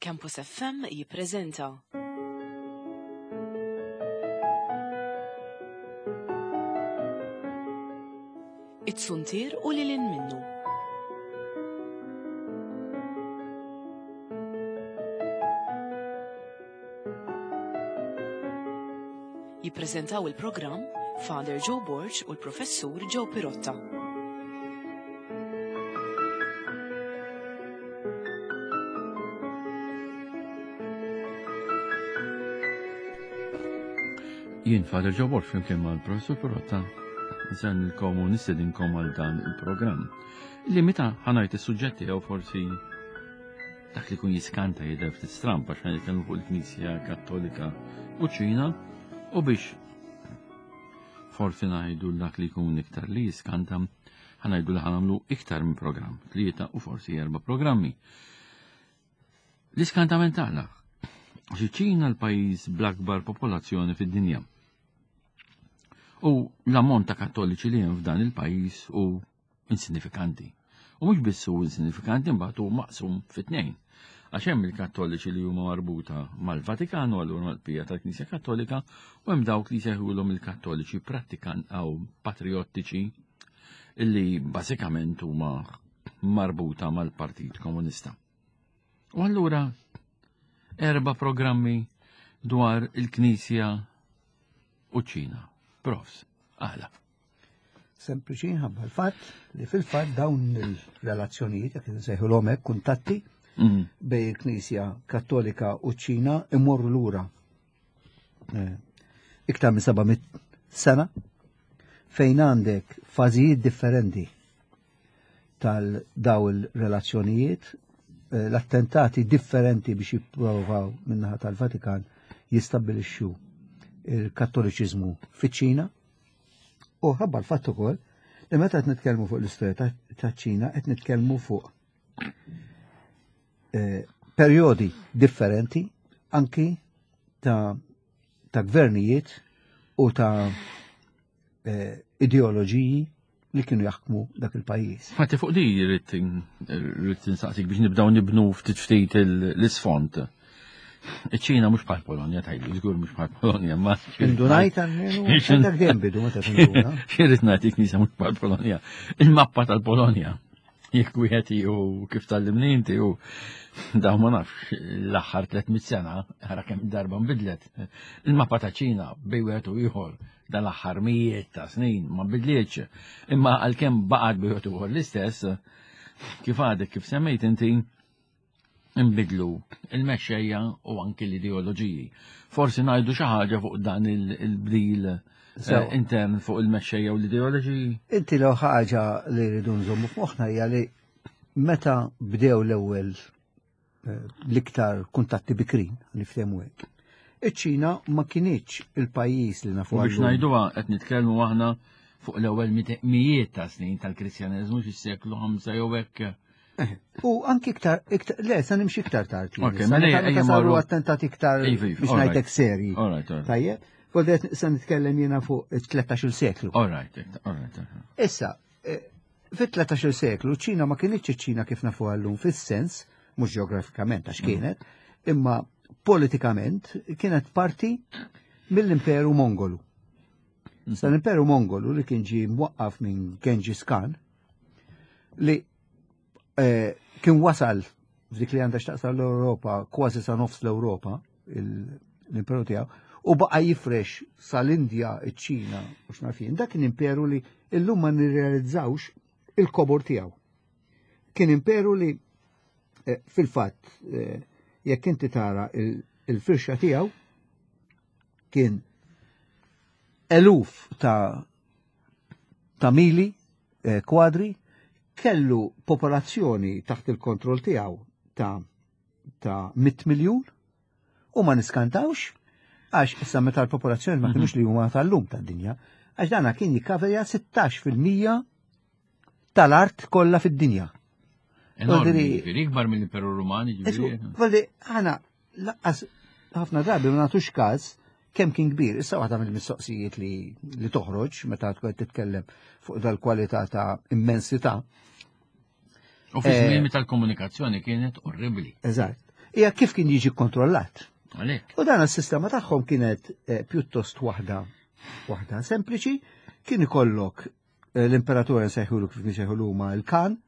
Campus FM jippreżenta. It-Suntier u lil hinn minnu. Jippreżentaw il-programm Father Joe Borg u l-Professur Joe Pirotta. Jien Father Joe Borg flimkien mal-Professur Pirotta nsellmilkom u nistedinkom għal dan il-programm. Li meta ħanajt is-suġġetti jew forsi Dak li jkun jiskanta jidher ftit stramb għax nitkellmu fuq il-Knisja Kattolika u Ċina u biex forsi ngħidu dak li jkun iktar li jiskanta ħanajdu li ħanamlu iktar minn programm, tlieta u forsi erba' programmi. L-iskantament tagħna għax iċ-Ċina l-pajjiż bl-akbar popolazzjoni fid-dinja. U l-ammont ta' kattoliċi li hemm f'dan il-pajjiż u insignifikanti. U mhux biss hu insignifikanti mbagħad hu maqsum fi tnejn. Għax hemm il-Kattoliċi li huma marbuta mal-Vatikan u allura mal-bqija tal-Knisja Kattolika u hemm dawk li jsejħulhom il-Kattoliċi prattikan aw patriottiċi illi bażikament huma marbuta mal-Partit Komunista. U allura erba' programmi dwar il-Knisja u ċ-Ċina. Profs, għala. Sempliċi ħabba l-fatt li fil-fatt dawn il-relazzjonijiet, jekk insejħulhom hekk kuntatti mm. bej il-Knisja Kattolika u ċ-Ċina imorru lura eh, iktar minn 700 sena fejn għandek fażijiet differenti tal-daw il-relazzjonijiet, eh, l-attentati differenti biex jipprovaw minnaħa tal-Vatikan jistabbilixxu il-Kattoliċiżmu fiċ-Ċina U ħabba l-fatt ukoll li meta qed nitkellmu fuq l-istorja taċ-Ċina qed nitkellmu fuq eh, perjodi differenti anki ta' ta' gvernijiet u ta' eh, ideoloġiji li kienu jaħkmu dak il-pajjiż. Fatti fuq di rrid insaqsik biex nibdaw nibnu ftit ftit l-isfond. Iċ-Ċina mhux bħal Polonja tajli, żgur mhux bħal Polonja, ma. Indunajt għalmenu, dak dejjem bidu meta tinduna. Xirrid ngħid il-Knisja mhux bħal Polonja. Il-mappa tal-Polonja. Jekk wieħed u kif tallimni inti u daw ma nafx l-aħħar 300 sena ħara kemm darba nbidlet. Il-mappa ta' Ċina bej wieħed u ieħor dal-aħħar mijiet ta' snin ma bidlietx. Imma għalkemm baqgħet bej wieħed u ieħor l-istess, kif għadek kif semmejt inti nbidlu il-mexxejja u anki l-ideoloġiji. Forsi ngħidu xi ħaġa fuq dan il-bdil eh, intern fuq il-mexxejja u l-ideoloġiji. Inti l ħaġa li rridu nżommu f'moħħna hija li meta bdew l-ewwel eh, l-iktar kuntatti bikrin, niftehmu hekk. Iċ-Ċina ma kienieċ il-pajjiż li nafu. Biex ngħiduha qed nitkellmu aħna fuq l-ewwel mijiet ta' snin tal-Kristjaneżmu fis-seklu 5 jew hekk Eh, u anki iktar, iktar, le, sa nimxi iktar tard. Ok, mela ejja saru attentati iktar iva, iva, biex ngħidlek serji. Tajjeb, Voldet sa nitkellem jiena fuq it-13 seklu. All right, all right. Issa, eh, fit-13 seklu ċina ma kienitx ċina kif nafu għallum fis-sens, mhux ġeografikament għax mm. kienet, imma politikament kienet parti mill-Imperu Mongolu. Mm. Sa l-Imperu Mongolu li kien ġie mwaqqaf minn Genghis Khan, li eh, kien wasal f'dik li għandha x'taqsam l-Ewropa kważi sa nofs l-Ewropa l-imperu tiegħu u baqa' jifrex sal-Indja, iċ-Ċina u x'nafin. Dak kien imperu li illum ma nirrealizzawx il-kobor tiegħu. Kien imperu li eh, fil-fatt eh, jekk inti tara il-firxa tiegħu kien eluf ta' ta' mili eh, kwadri kellu popolazzjoni taħt il-kontroll tiegħu ta' ta' 100 miljun u ma niskantawx għax issa meta l-popolazzjoni ma kinux li huma tal-lum tad-dinja, għax dana kien jikkaverja 16% tal-art kollha fid-dinja. Enormi, ikbar mill-Imperu Rumani, ġifieri. Voldi, aħna laqqas ħafna drabi ma nagħtux każ kemm kien kbir. Issa waħda mill-mistoqsijiet li, li toħroġ meta tkun titkellem fuq dal-kwalità ta' immensità. U fi żmien eh, meta l-komunikazzjoni kienet orribli. Eżatt. hija kif kien jiġi kontrollat. Għalhekk. U dan is-sistema tagħhom kienet eh, pjuttost waħda waħda sempliċi, kien ikollok eh, l-imperatur nsejħulu kif nsejħulu huma il-kan,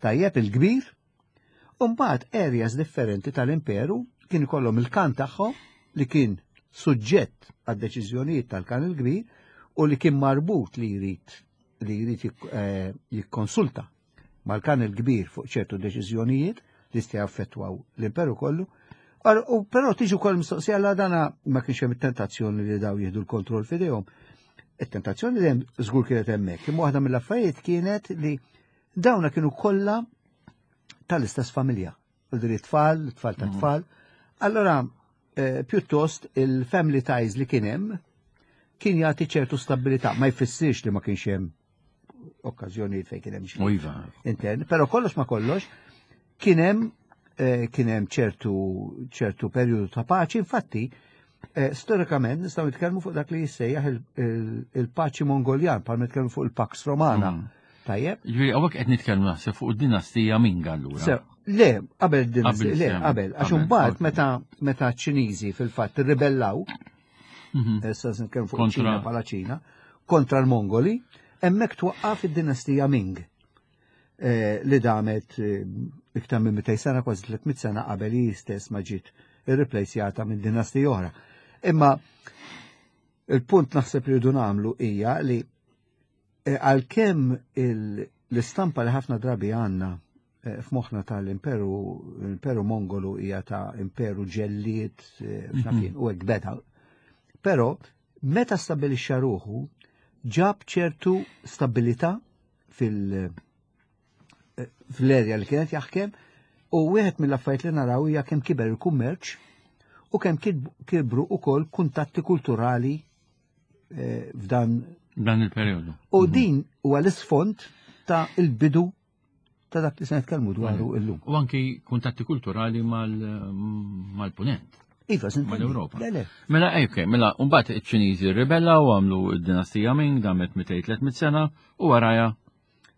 tajjeb il-kbir, u mbagħad areas differenti tal-imperu kien ikollhom il-kan tagħhom li kien suġġett għad-deċiżjonijiet tal-kan il-kbir u li kien marbut li jrid li jrid eh, jikkonsulta mal-kan il-kbir fuq ċertu deċiżjonijiet li jista' jaffettwaw l-imperu kollu. U però tiġi wkoll mistoqsija la dana ma kienx hemm tentazzjoni li daw jieħdu l-kontroll f'idejhom. It-tentazzjoni li hemm żgur kienet hemmhekk, imma waħda mill-affarijiet kienet li dawna kienu kollha tal-istess familja. U tfal, tfal ta' mhm. tfal. Allora, eh, pjuttost il-family ties li kien hemm kien jagħti ċertu stabilità, ma jfissirx li ma kienx hemm okkażjonijiet fejn kien hemm xi iva. intern, però kollox ma kollox kien hemm eh, kien hemm ċertu ċertu perjodu ta' paċi, infatti eh, storikament nistgħu nitkellmu fuq dak li jissejjaħ il-paċi Mongoljan, bħal nitkellmu fuq il-Pax Romana. Tajjeb. Ġifieri hawnhekk qed nitkellmu naħseb fuq id-dinastija Ming allura. Le, qabel dinastija, le, qabel, għax imbagħad meta meta ċ-Ċiniżi fil-fatt irribellaw, mhm. issa se nitkellmu fuq ċina bħala Ċina, kontra l-Mongoli, hemmhekk twaqqaf id-dinastija Ming eh, li damet eh, iktar minn 200 sena, kważi 300 sena qabel hi stess ma ġiet irriplejsjata minn dinastija oħra. Imma il-punt naħseb li rridu nagħmlu hija li eh, għalkemm l-istampa li ħafna drabi għandna eh, f'moħħna tal-imperu imperu Mongolu hija ta' imperu ġellied eh, mhm. u hekk beda. Però meta stabilixxa ruħu ġab ċertu stabilità fil- fl-erja li kienet jaħkem u wieħed mill-affarijiet li naraw hija kemm kiber il-kummerċ u kemm kibru ukoll kuntatti kulturali eh, f'dan dan il-perjodu. U mhm. din huwa l-isfond ta' il-bidu ta' dak li se nitkellmu dwaru mhm. illum. U anki kuntatti kulturali mal-punent. Iva, mal-Europa. Mela, eh, ok, mela, mbagħad iċ-Ċiniżi rribellaw għamlu d-dinastija Ming damet 200-300 sena u waraja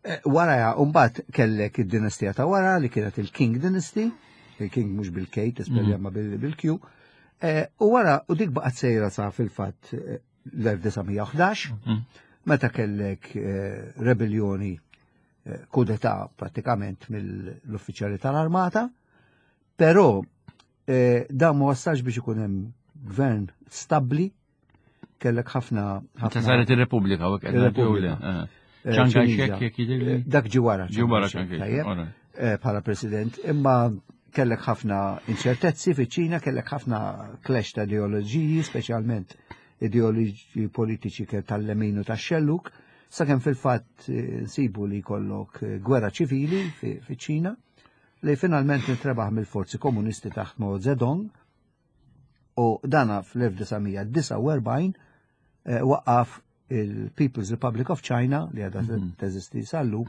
Eh, wara, mbagħad kellek id-dinastija ta' wara li kienet il-King Dynasty, il-King mhux bil-K, tispelja mhm. ma bil-Q. Eh, u wara, u dik baqgħet sejra sa fil-fatt eh, l-1911, mhm. meta kellek rebellioni kudeta pratikament mill-uffiċjali tal-armata, però dan ma wassalx biex ikun hemm gvern stabbli kellek ħafna. Meta saret ir-Repubblika u Ir-Repubblika. Eh. Eh, Chiang Kai-shek jekk jidhirli. Eh, dak ġi wara. Ġi wara Chiang Kai-shek. Bħala president, imma kellek ħafna inċertezzi fiċ-Ċina, kellek ħafna clash ta' ideoloġiji, speċjalment ideoloġiji politiċi kell tal-lemin u tax-xelluk, sakemm fil-fatt nsibu li jkollok gwerra ċivili fiċ-Ċina, li finalment intrebaħ mill-forzi komunisti taħt Mao Zedong, U dana fl-1949 eh, waqqaf il-People's Republic of China li għadha mhm. teżisti sallu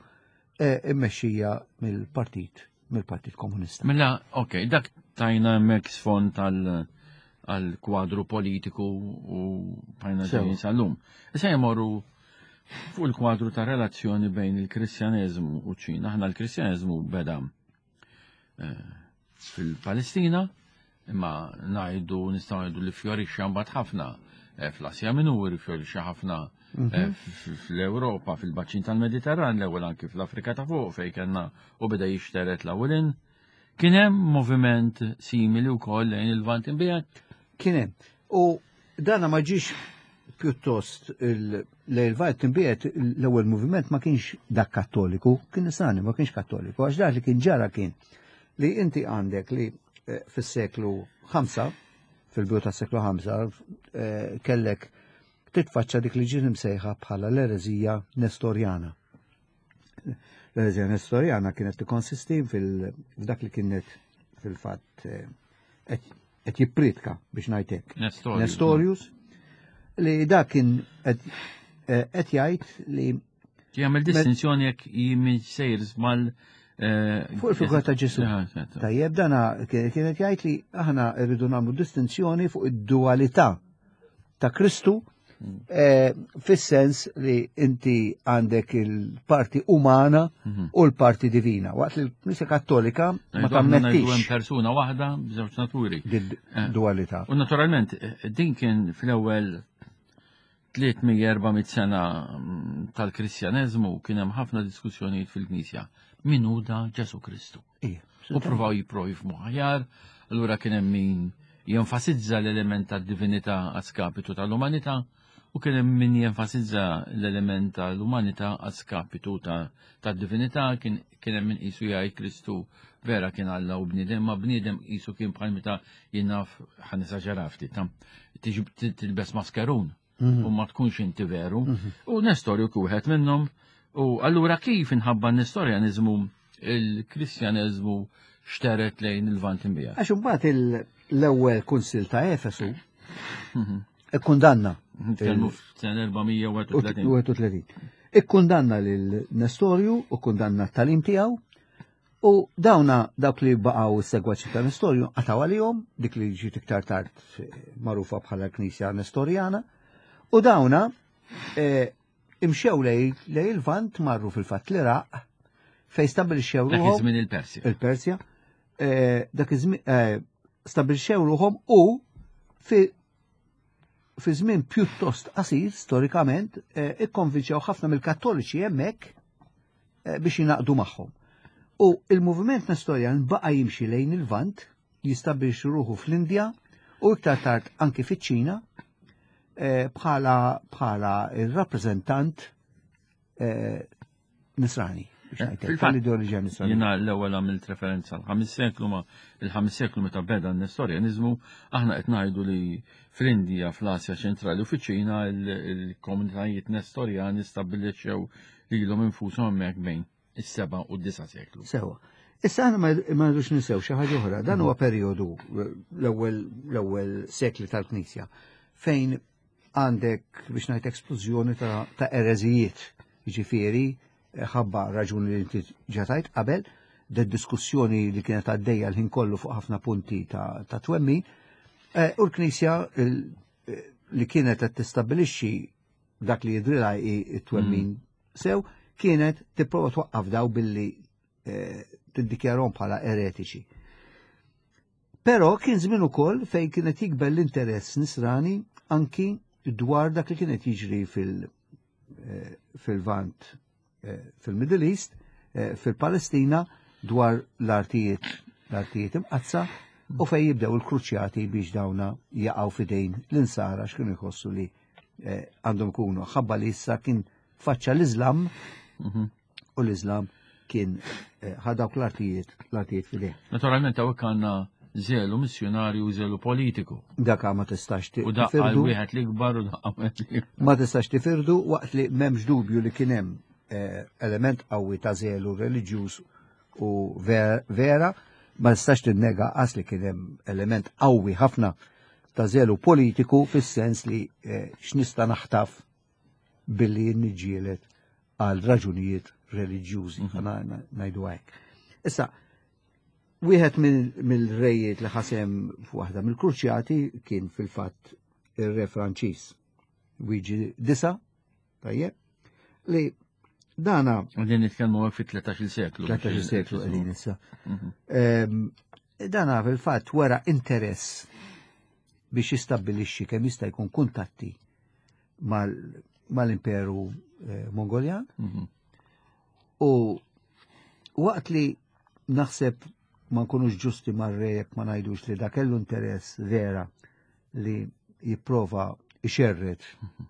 eh, immexxija mill-partit mill-Partit Komunista. Mela, ok, dak tajna hemmhekk sfond għal kwadru politiku u bajna ġejjin sal-lum. Issa jmorru fuq il-kwadru ta' relazzjoni bejn il-Kristjaneżmu u ċina. Aħna l-Kristjaneżmu beda eh, fil-Palestina, imma ngħidu nistgħu ngħidu li fjorixxa mbagħad ħafna eh, fl-Asja Minuri, fjorixxa ħafna eh, mhm. fl-Ewropa, fil-baċin tal-Mediterran, l-ewwel anki fl-Afrika ta' fuq fejn kellna u beda jixteret l-ewwelin. Kien hemm moviment simili wkoll lejn il-Lvant imbiegħed? Kien hemm. U dana ma ġiex pjuttost l-Lvant imbiegħed l-ewwel moviment ma kienx dak kattoliku, kien nisrani ma kienx kattoliku, għax dak li kien ġara kien li inti għandek li eh, fis-seklu 5, fil-bidu tas-seklu 5, eh, kellek titfaċċa dik li ġiet imsejħa bħala l-ereżija Nestorjana. L-ereżija Nestorjana kienet tikkonsisti f'dak li kienet fil-fatt eh, qed jippritka biex ngħid hekk. Nestorius li dak kien qed jgħid li Jagħmel distinzjoni jekk jimmin sejrs mal eh, Fuq il-figura ta' Ġesu. Tajjeb dana kienet jgħid li aħna rridu nagħmlu distinzjoni fuq id-dualità ta' Kristu. Eh, fis-sens li inti għandek il-parti umana mhm. u l-parti divina. Waqt li l-Knisja Kattolika ma tammettix. persuna waħda b'żewġ naturi. Eh, dualità. U naturalment, eh, din kien fl-ewwel 300-400 sena mm, tal-Kristjaneżmu kien hemm ħafna diskussjonijiet fil-Knisja. Min hu da Ġesu Kristu? U provaw jipprovi f'muħajar, allura kien hemm min jenfasizza l-element tad-divinità għas-skapitu tal-umanità u kien hemm min jenfasizza l-element tal-umanità għas-skapitu tad-divinità, kien hemm min qisu jgħid Kristu vera kien Alla u bniedem, ma bniedem qisu kien bħal meta jien naf ħa nesaġera ftit, tiġi tilbes maskerun mhm. u ma tkunx inti veru. Mhm. U Nestorju kien wieħed minnhom. U allura kif inħabba n-Nestorjaniżmu il-Kristjaneżmu xteret lejn il-Lvant imbija. Għax imbagħad l-ewwel kunsil ta' Efesu mhm. ikkundanna. Nitkellmu f'sena 431. Ikkundanna lil Nestorju u kundanna t-talim tiegħu u dawna dawk li baqgħu s-segwaċi ta' Nestorju qataw għalihom dik li ġiet iktar tard magħrufa bħala l-Knisja Nestorjana u dawna eh, imxew lej il-Lvant marru fil-fatt l-Iraq fejn stabbilixxew ruħhom. Dak iż-żmien il-Persja. Il-Persja. Eh, dak iż-żmien eh, stabbilixxew ruħhom u fi fi żmien pjuttost qasir storikament eh, ikkonvinċew ħafna mill-Kattoliċi hemmhekk biex jingħaqdu magħhom. U il-moviment Nestorjan baqa' jimxi lejn il-Lvant, jistabbilixxi ruħu fl-Indja u iktar tard anki fiċ-Ċina eh, bħala bħala il-rappreżentant eh, nisrani. Tal-ideoloġija nisrani. Jiena l-ewwel għamilt referenza l-ħamis seklu ma il-ħamis seklu meta beda n-Nestorjaniżmu aħna qed ngħidu li fl-Indija, fl-Asja ċentrali u fiċ-Ċina il-komunitajiet Nestorjani stabbilixxew lilhom infushom hemmhekk bejn is-seba' u d-disa' seklu. Sewa. Issa aħna ma rridux ninsew xi ħaġa oħra, dan huwa perjodu l-ewwel l-ewwel sekli tal-Knisja fejn għandek biex ngħid esplużjoni ta', ta ereżijiet, jiġifieri ħabba raġuni li inti ġatajt qabel, de diskussjoni li kienet għaddejja l-ħin kollu fuq ħafna punti ta', ta twemmin, eh, u l-Knisja eh, li kienet qed tistabbilixxi dak li jidrilha it-twemmin mm. sew kienet tipprova twaqqaf daw billi eh, tiddikjarhom bħala eretiċi. Però kien żmien ukoll fejn kienet jikber l-interess nisrani anki dwar dak li kienet jiġri fil- eh, fil-Vant eh, fil-Middle East, fil-Palestina dwar l-artijiet l-artijiet imqazza u fej jibdew il-kruċjati biex dawna jaqgħu fidejn l-insara x'kienu jħossu li eh, għandhom ikunu ħabba li issa kien faċċa l-Islam mhm. u l-Islam kien eh, ħadawk l-artijiet l-artijiet fidejh. Naturalment hawnhekk għandna zelu missjonarju u zelu politiku. Daka ma tistax tifirdu. U daqqa wieħed l-ikbar u daqqa wieħed Ma tistax tifirdu waqt li m'hemmx dubju li kien hemm eh, element qawwi ta' zelu reliġjuż u vera, ma tistax tinnega qas li kien hemm element qawwi ħafna ta' zelu politiku fis-sens li eh, x'nista' naħtaf billi niġġieled għal raġunijiet reliġjużi, mhm. ngħidu hekk. Issa, wieħed mill-rejiet li ħasem f'waħda mill-kruċjati kien fil-fatt ir-re Franċiż Wiġi Disa, tajjeb, li dana. Għadin nitkellmu għek fit-13 seklu. 13 seklu għedin issa. Mhm. Ehm, dana fil-fatt wera interess biex jistabbilixxi kemm jista' jkun kuntatti mal-Imperu eh, Mongoljan. Mhm. U waqt li naħseb ma nkunux ġusti mar-re jekk ma ngħidux li da kellu interess vera li jipprova ixerret mhm.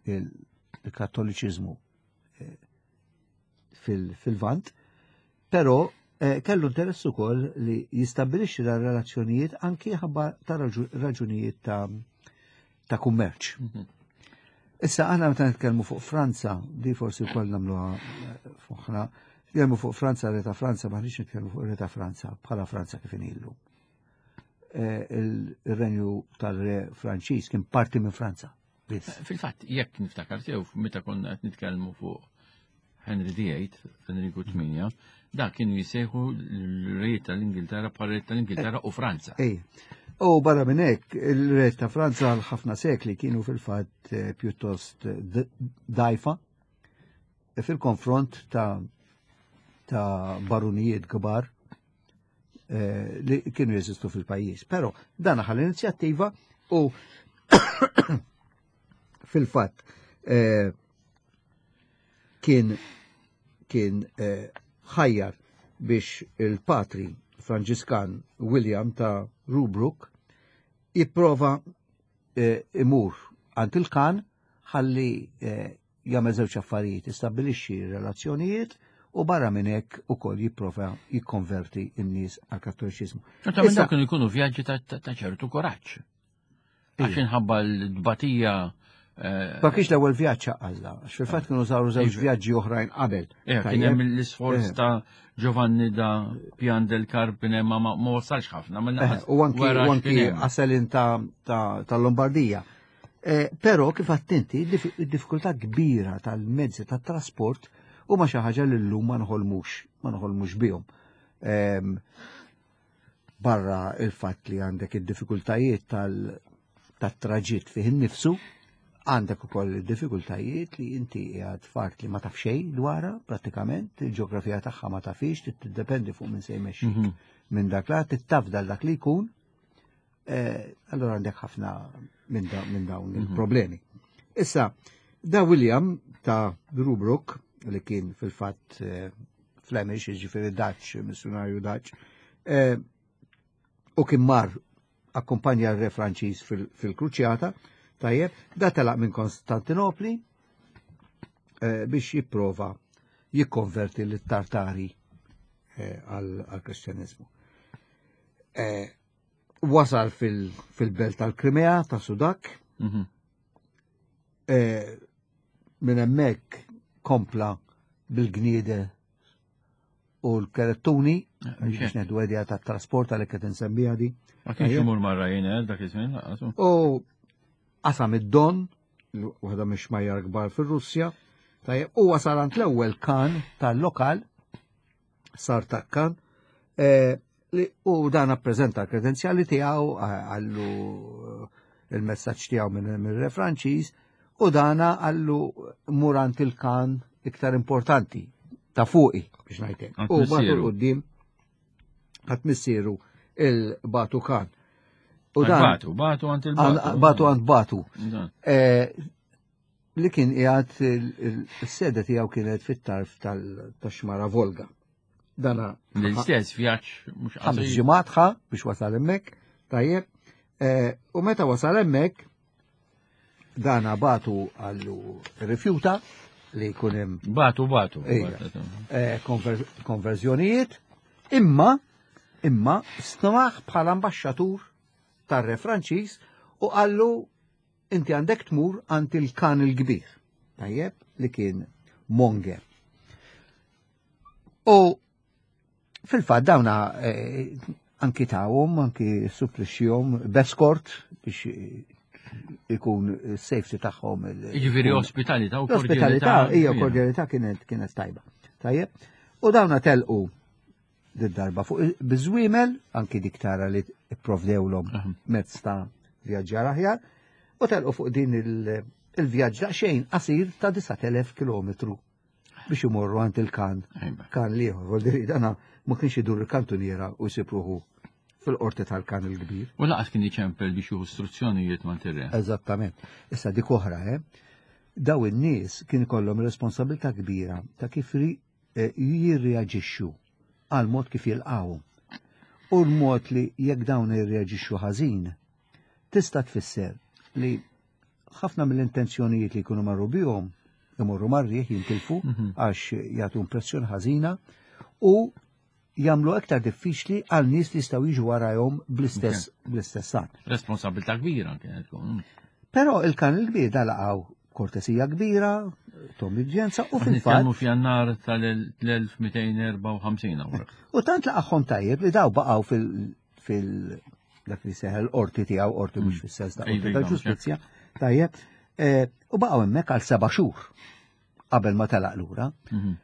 il-kattoliċiżmu eh, fil-vant, però eh, kellu interess ukoll li jistabbilixxi dar relazzjonijiet anki ħabba ta' raġunijiet ta' ta' kummerċ. Mhm. Issa aħna meta nitkellmu fuq Franza, di forsi wkoll nagħmluha eh, fuqna, nitkellmu fuq Franza, re ta' Franza, maħniex nitkellmu fuq re ta' Franza bħala Franza kif inillu. Eh, il-renju tal-re Franċiż kien parti minn Franza. Fil-fatt, jekk niftakar sew, meta konna qed nitkellmu fuq Henry VIII, Enriku VIII, da kienu jisejħu l-rejiet tal-Ingilterra bħal rejiet tal-Ingilterra u Franza. Ej. U barra minn hekk, il-re ta' Franza għal ħafna sekli kienu fil-fatt eh, pjuttost eh, dajfa fil-konfront ta' ta' barunijiet kbar eh, li kienu jeżistu fil-pajjiż. Però dan ħal inizjattiva u fil-fatt eh, kien kien eh, ħajjar biex il-patri Franġiskan William ta' Rubruck jipprova eh, imur għand il-kan ħalli eh, jagħmel żewġ affarijiet, jistabbilixxi relazzjonijiet u barra minn hekk ukoll jipprova jikkonverti n-nies għall-Kattoliċiżmu. Meta minn dawk kienu jkunu vjaġġi ta' ċertu kuraġġ. Għax inħabba l-dbatija eh, Ma kienx l-ewwel vjaġġ għalla, għax fil-fatt kienu saru żewġ iva. vjaġġi oħrajn qabel. Eh, kien hemm l-isforz eh. ta' Giovanni da Pian del Carpine ma ma wasalx ħafna. U anki Aselin ta' Lombardija. Però kif attenti, id-diffikultà kbira tal-mezzi tat-trasport huma xi ħaġa li llum ma nħolmux, ma nħolmux bihom. Ehm, barra il-fatt li għandek id-diffikultajiet tal-traġitt fih innifsu, għandek ukoll id-diffikultajiet li inti qiegħed fart li ma taf xejn dwarha prattikament, il-ġeografija tagħha ma tafix, tiddependi fuq minn se jmexxik mhm. minn dak la, tittafdal dak li jkun, eh, allora għandek ħafna minn dawn mhm. il-problemi. Issa, da William ta' Rubruck, li kien fil-fatt eh, Flemish, ġifiri Dutch, missjonarju Dutch, eh, u kien mar akkumpanja r-re Franċiż fil-kruċjata, tajjeb, da telaq minn Konstantinopli eh, biex jipprova jikkonverti l-Tartari eh, għal-Kristjanizmu. Wasal fil-belt tal-Krimea ta' Sudak, mhm. Minn hemmhekk kompla bil-gniede u l-kerettuni, eh, biex neħdu għedja ta' trasport għalhekk qed insemmiha di. Ma kienx imur marra jien eh, dak iż-żmien laqas. U qasam id-Don, waħda mhix xmajjar kbar fir-Russja, tajjeb, u wasal għand l-ewwel kan tal-lokal sar takkan, eh, u dan appreżenta l-kredenzjali tiegħu għallu eh, il-messaġġ tiegħu minn re Franċiż u dana għallu murant il-kan iktar importanti ta' fuqi biex ngħidlek. U batu l-qudiem għat missieru il-batu kan. U dan batu, batu għand il-batu. Batu għand batu. Eh, li kien qiegħed il-sede tiegħu kienet fit-tarf tal-xmara Volga. Dana l-istess vjaġġ mhux ħames ġimgħat ħa biex wasal hemmhekk, tajjeb. Eh, u meta wasal hemmhekk dana batu għallu rifjuta li jkun hemm. Batu batu. Eh, konverżjonijiet, imma imma stmaħ bħala ambaxxatur tar-re Franċiż u qallu inti għandek tmur għand il-kan il-kbir, tajjeb, li kien Monger. U fil-fatt dawna eh, anki tawhom, anki supplixxihom b'eskort biex ikun safety tagħhom. Jiġifieri ospitalità u kordjalità. Hija kordjalità kienet kienet tajba. Tajjeb. U dawna telqu darba fuq biżwiemel, anki dik tara li ipprovdewlhom mezz ta' vjaġġar aħjar, u telqu fuq din il-vjaġġ daqsxejn qasir ta' 9000 km biex imorru għand il-kan, kan liħor, voldiri dana ma kienx idur il-kantuniera u jsibruħu fil-qorti tal-kan il-kbir. U laqas kien iċempel biex juhu istruzzjonijiet ma' tirre. Eżattament. Issa dik oħra, eh? Daw in-nies kien ikollhom responsabilità kbira ta' kif eh, jirreaġixxu għal mod kif jilqgħu. U l-mod li jekk dawn jirreaġixxu ħażin, tista' tfisser li ħafna mill-intenzjonijiet li jkunu marru bihom imorru marriħ jintilfu mhm. għax jagħtu impressjoni ħażina u jagħmlu aktar diffiċli għal nies li jistgħu jiġu warajhom bl-istess bl-istess għan. Responsabilità kbira kienet tkun. Però il-kan il-kbir da laqgħu kortesija kbira, tom ġenza u fil-fatt. Nitkellmu f'Jannar tal-1254 hawnhekk. U tant laqgħhom tajjeb li daw baqgħu fil fil dak li seħel qorti tiegħu qorti mhux mm. fis-sens ta' qorti tal-ġustizzja, tajjeb, eh, u baqgħu hemmhekk għal seba' xhur qabel ma telaq lura. Mhm.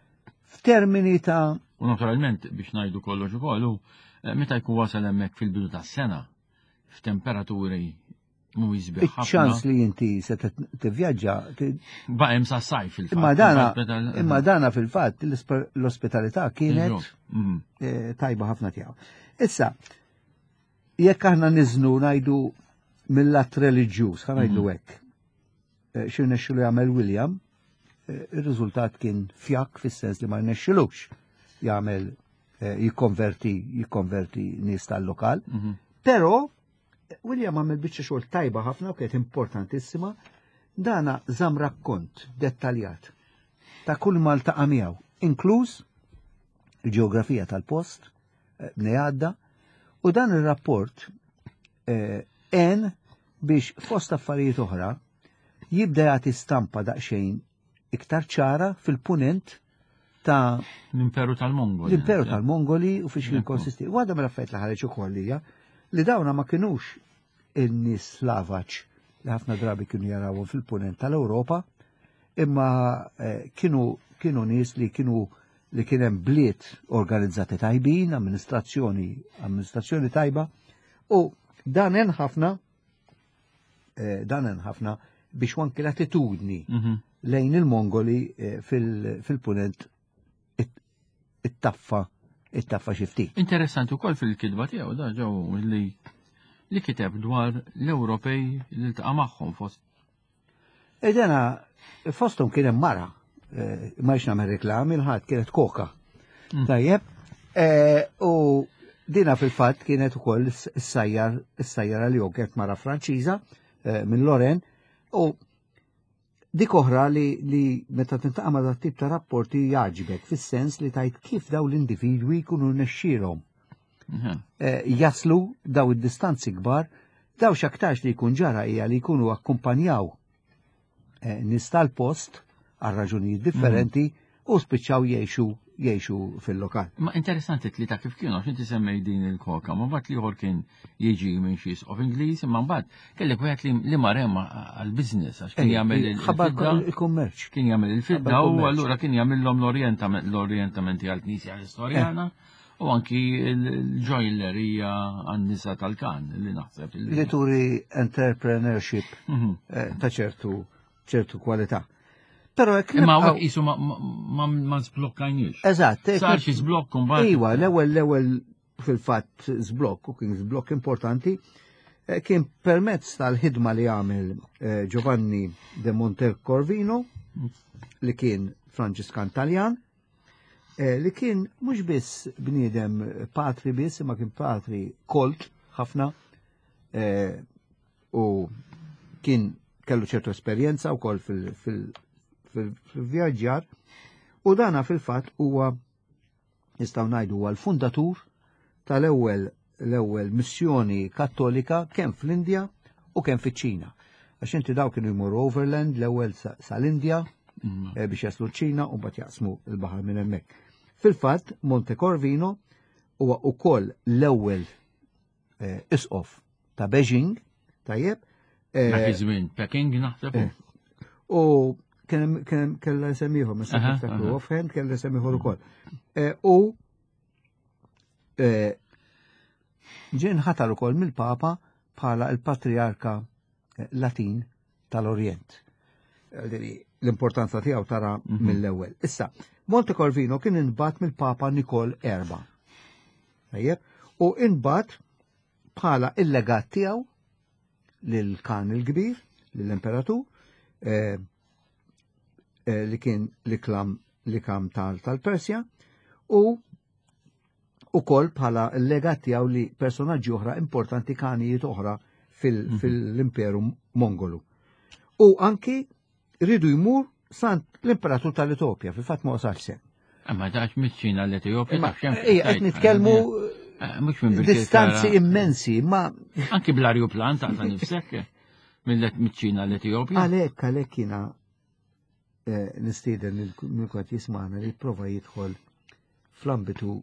F'termini ta' U naturalment biex ngħidu kollox ukoll eh, meta jkun wasal hemmhekk fil-bidu tas-sena, f'temperaturi mhuwiex sbieħ ħafna. Iċ-ċans li inti se tivvjaġġa. Baqem sa sajf fil-fatt. Imma dana, imma dana fil-fatt l-ospitalità kienet mhm. eh, tajba ħafna tiegħu. Issa, jekk aħna niżnu ngħidu mill-att reliġjuż, ħa ngħidu mhm. hekk. Eh, xi rnexxilu jagħmel William, eh, ir-riżultat kien fjakk fis-sens li ma rnexxilux jagħmel jikkonverti jikkonverti nies tal-lokal. Mhm. Però William għamel biċċa xogħol tajba ħafna u kienet importantissima, dana żamm rakkont dettaljat ta' kull ma ltaqa' miegħu, inkluż il-ġeografija tal-post, eh, bnej għadda, u dan ir-rapport eh, għen biex fost affarijiet oħra jibda jagħti stampa daqsxejn iktar ċara fil-punent ta' l-Imperu tal-Mongoli. L-Imperu tal-Mongoli u fiex kien konsisti. Waħda mill-affarijiet li ħareġ ukoll hija li dawna ma kinux in-nies slavaċ li ħafna drabi kienu jarawhom fil-punent tal-Ewropa, imma eh, kienu kienu nies li kienu li kien hemm bliet organizzati tajbin, amministrazzjoni amministrazzjoni tajba, u dan hemm ħafna Eh, dan hemm ħafna biex anki l-attitudni mhm. lejn il-Mongoli eh, fil-punent it-taffa it-taffa xi ftit. Interessanti wkoll fil-kitba tiegħu da ġew li li kiteb dwar l-Ewropej li ltaqa' magħhom fost. Edena fosthom kien hemm mara, eh, ma jx nagħmel reklami l-ħadd kienet koka. Tajjeb, eh, u dina fil-fatt kienet ukoll is-sajjar is-sajjara li kienet mara Franċiża eh, minn Loren u dik oħra li, li meta tintaqa' ma' dat tip ta' rapporti jagħġbek fis-sens li tajt kif daw l-individwi jkunu nexxielhom mhm. eh, jaslu daw id-distanzi kbar, daw x'aktarx li jkun ġara hija li jkunu akkumpanjaw Eh, nies tal-post għal raġunijiet differenti mm. u spiċċaw jgħixu jgħixu fil-lokal. Ma interessanti li ta' kif kienu, għax inti semmej din il-koka, ma mbagħad liħor kien jiġi minn xi of Ingliż, imma mbagħad kellek wieħed li mar hemm għall-business għax kien jagħmel il-kummerċ. Kien jagħmel il-fidda u allura kien jagħmilhom l-orjentamenti għall-Knisja l-Istorjana. Eh. U anki l-ġojlerija għan-nisa tal-kan li naħseb. Li turi entrepreneurship mhm. eh, ta' ċertu ċertu kwalità. Però jekk Imma hawnhekk qisu ma żblokkajniex. Eżatt. Sar xi żblokk imbagħad. Iva, l-ewwel l-ewwel fil-fatt żblokk u kien żblokk importanti eh, kien permezz tal-ħidma li għamel eh, Giovanni de Montecorvino li kien Franġiskan Taljan Eh, li kien mhux biss bniedem patri biss, imma kien patri kolt ħafna eh, u kien kellu ċertu esperjenza wkoll fil-vjaġġar u dana fil-fatt huwa nistgħu ngħidu huwa l-fundatur tal-ewwel l-ewwel missjoni kattolika kemm fl-Indja u kemm fiċ-Ċina. Għax inti daw kienu jmorru overland l-ewwel sal-Indja mm. eh, biex jaslu ċ-Ċina u mbagħad jaqsmu l-baħar minn hemmhekk. Fil-fatt, Monte Corvino huwa ukoll l-ewwel eh, isqof ta' Beijing, tajjeb. Eh, Dak iż-żmien Peking naħseb. U kien kella semmiħor, ma niftakru offhand, kella semmiħor ukoll. U Eh, ġie nħatar ukoll mill-Papa bħala l-Patriarka eh, Latin tal-Orjent. Eh, l-importanza tiegħu tara mhm. mill-ewwel. Issa, Monte Corvino kien inbat mill-Papa Nikol Erba. U inbat bħala il-legat tiegħu lil Kan il-Kbir, lill-Imperatur, eh, eh, li kien l-iklam li kam tal-Persja, u ukoll bħala l-legat tiegħu li personaġġi oħra importanti kanijiet oħra mhm. fil-Imperu Mongolu. U anki ridu jmur sant l-Imperatur tal-Etopja, fil-fatt ma wasalx sem. Ma dax miċ-Ċina l-Etjopja, taf xem. Ejja, qed nitkellmu eh, mhux minn distanzi immensi, ma. Anki bl-arjuplan ta' nifsek mill-ċina l-Etjopja. Għalhekk għalhekk jiena eh, nistieden lil kulħadd jismagħna li jipprova jidħol fl-ambitu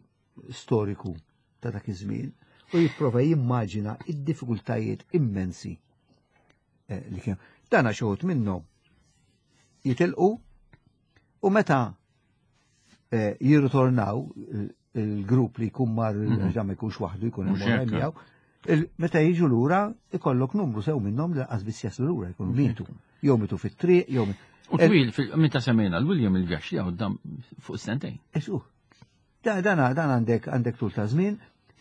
storiku ta' dak iż-żmien u jipprova jimmaġina id-diffikultajiet immensi eh, li kienu. Dan għax uħud minnhom jitilqu u meta eh, jirritornaw il-grupp li jkun mar mhm. ġa ma jkunx waħdu jkun hemm miegħu. Meta jiġu lura ikollok numru sew minnhom li lanqas biss jaslu lura jkunu mietu. Jew mitu fit-triq, jew U twil, meta semmejna l-William il-vjaġġ tiegħu dam fuq sentejn. Esu. Dan għandek għandek tul ta' żmien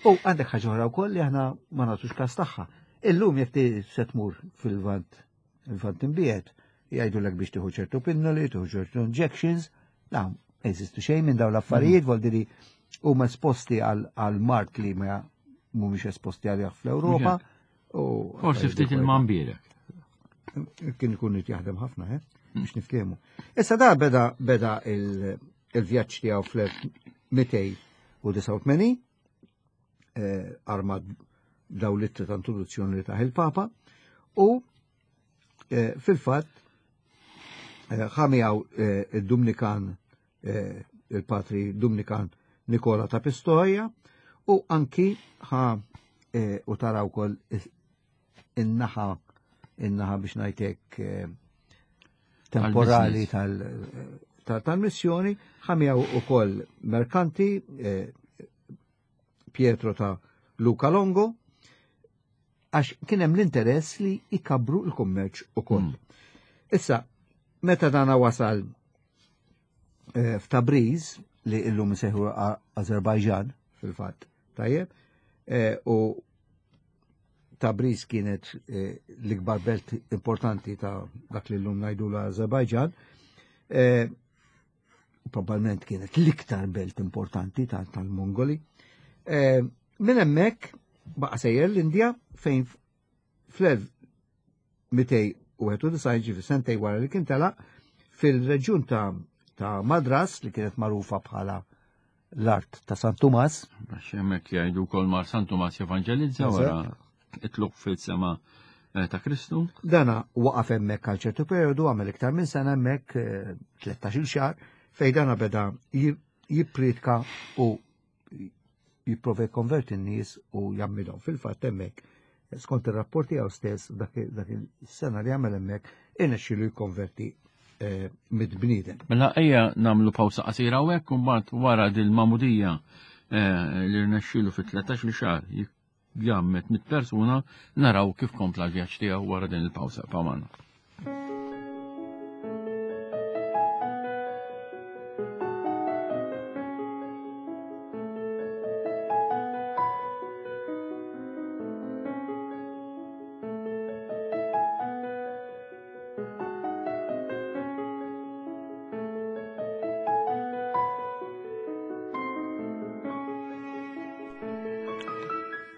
u għandek ħaġa oħra wkoll li aħna ma nagħtux każ tagħha. Illum jekk se tmur fil-vant il-vant imbiegħed, jgħidulek biex tieħu ċertu pinnoli, tieħu ċertu injections, la, ma jeżistu xejn minn dawn l-affarijiet, mm. voldi li huma esposti għal mart li ma mhumiex esposti għalih fl-Ewropa. Forsi ftit il-mambirek. Kien ikun jaħdem ħafna, eh? Mm. biex niftehmu. Issa da beda beda il-vjaġġ tiegħu fl-1289 eh, armat daw l-ittri ta' introduzzjoni li taħ il-Papa u eh, fil-fatt eh, ħamijaw il-Dumnikan il-patri Dumnikan Nikola ta' Pistoia u anki ħa u taraw kol in-naħa in-naħa biex ngħidlek temporali tal-missjoni ħamijaw ukoll merkanti Pietro ta' Luca Longo, għax kien hemm l-interess li jkabru l-kummerċ ukoll. Mm. Issa, meta dana wasal eh, f'Tabriz, li illum seħu Azerbajġan, fil-fatt, tajjeb, eh, u Tabriz kienet eh, l-ikbar belt importanti ta' dak li llum ngħidu l-Azerbajġan, probabbilment kienet l-iktar belt importanti tal-Mongoli. Eh, minn hemmhekk baqa' sejjer l-Indja fejn fl-1291 ġifi sentej wara li kien telaq fil-reġjun ta' ta' Madras li kienet magħrufa bħala l-art ta' San Tumas. Għax hemmhekk jgħidu wkoll mar San Tumas jevanġelizza wara itluq fil-sema eh, ta' Kristu. Dana waqaf hemmhekk għal ċertu periodu għamel iktar minn sena hemmhekk 13-il eh, xahar fejn dana beda jippriedka u jipprova jikkonverti n-nies u jagħmilhom. Fil-fatt hemmhekk skont ir-rapporti tiegħu stess dak il-sena li għamel hemmhekk irnexxielu jikkonverti eh, mid-bniedem. Mela ejja nagħmlu pawsa qasira hawnhekk u mbagħad wara dil-magħmudija eh, li rnexxielu fit-13 xahar jgħammed mit persuna naraw kif kompla l-vjaġġ tiegħu wara din il-pawsa pamana.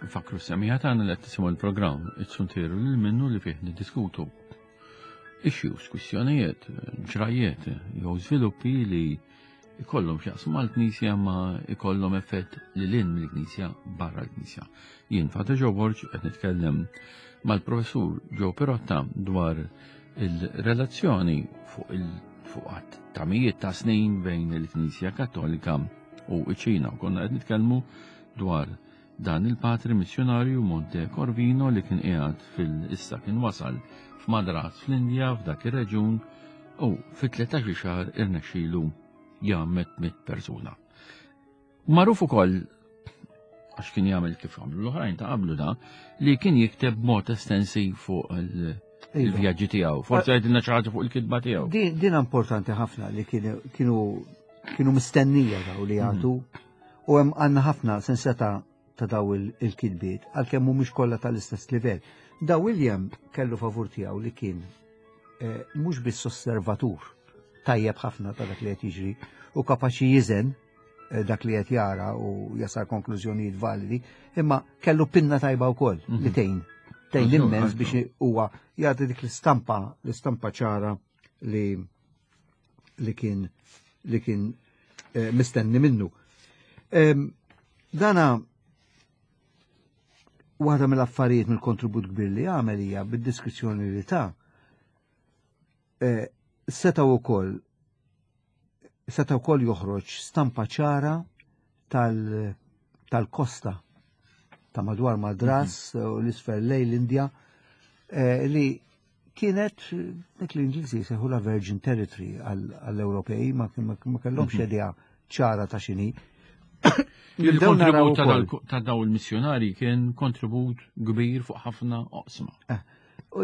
Fakru semija tagħna li qed tisimgħu l-programm it-suntiru lil minnu li fih niddiskutu issues, kwistjonijiet, ġrajiet jew żviluppi li ikollhom x'jaqsmu mal-Knisja ma ikollhom effett lil hinn mill-Knisja barra l-Knisja. Jien Father Joe Borg qed nitkellem mal-Professur Joe Pirotta dwar il-relazzjoni fuq il fuq għadd ta' mijiet ta' snin bejn il-Knisja Kattolika u ċ-Ċina. Konna qed nitkellmu dwar dan il-patri missjonarju Monte Corvino li kien qiegħed fil-issa kien wasal f'Madras fl-Indja f'dak ir-reġun u fit-13 xahar irnexxielu jgħammed mit persuna. Magħruf ukoll għax kien jagħmel kif għamlu l-oħrajn ta' qablu da, li kien jikteb mod estensiv fuq iva. il-vjaġġi tiegħu. Forsi għedilna xi ħaġa fuq il-kitba tiegħu. Din importanti ħafna li kienu kienu mistennija daw li jagħtu mhm. u hemm għandna ħafna senseta ta' daw il-kitbiet għalkemm mhumiex kollha tal-istess livell. Da William kellu favur tiegħu li kien eh, mhux biss osservatur tajjeb ħafna ta' dak li qed jiġri u kapaċi jiżen eh, dak li qed jara u jasal konklużjonijiet validi, imma kellu pinna tajba wkoll li mhm. tgħin. Tgħin immens biex huwa jagħti dik l-istampa, l-istampa ċara li li kien li kien eh, mistenni minnu. Dana waħda mill-affarijiet mill-kontribut kbir li għamel hija bid-diskrizzjoni li ta' eh, setaw ukoll seta' wkoll joħroġ stampa ċara tal-kosta ta' madwar Madras mhm. u l-isfel lej l-Indja eh, li kienet dik l-Ingliżi seħu la Virgin Territory għall-Ewropej ma kellhomx mhm. idea ċara ta' xini. Il-kontribut ta' daw il-missjonari kien kontribut kbir fuq ħafna oqsma. Eh,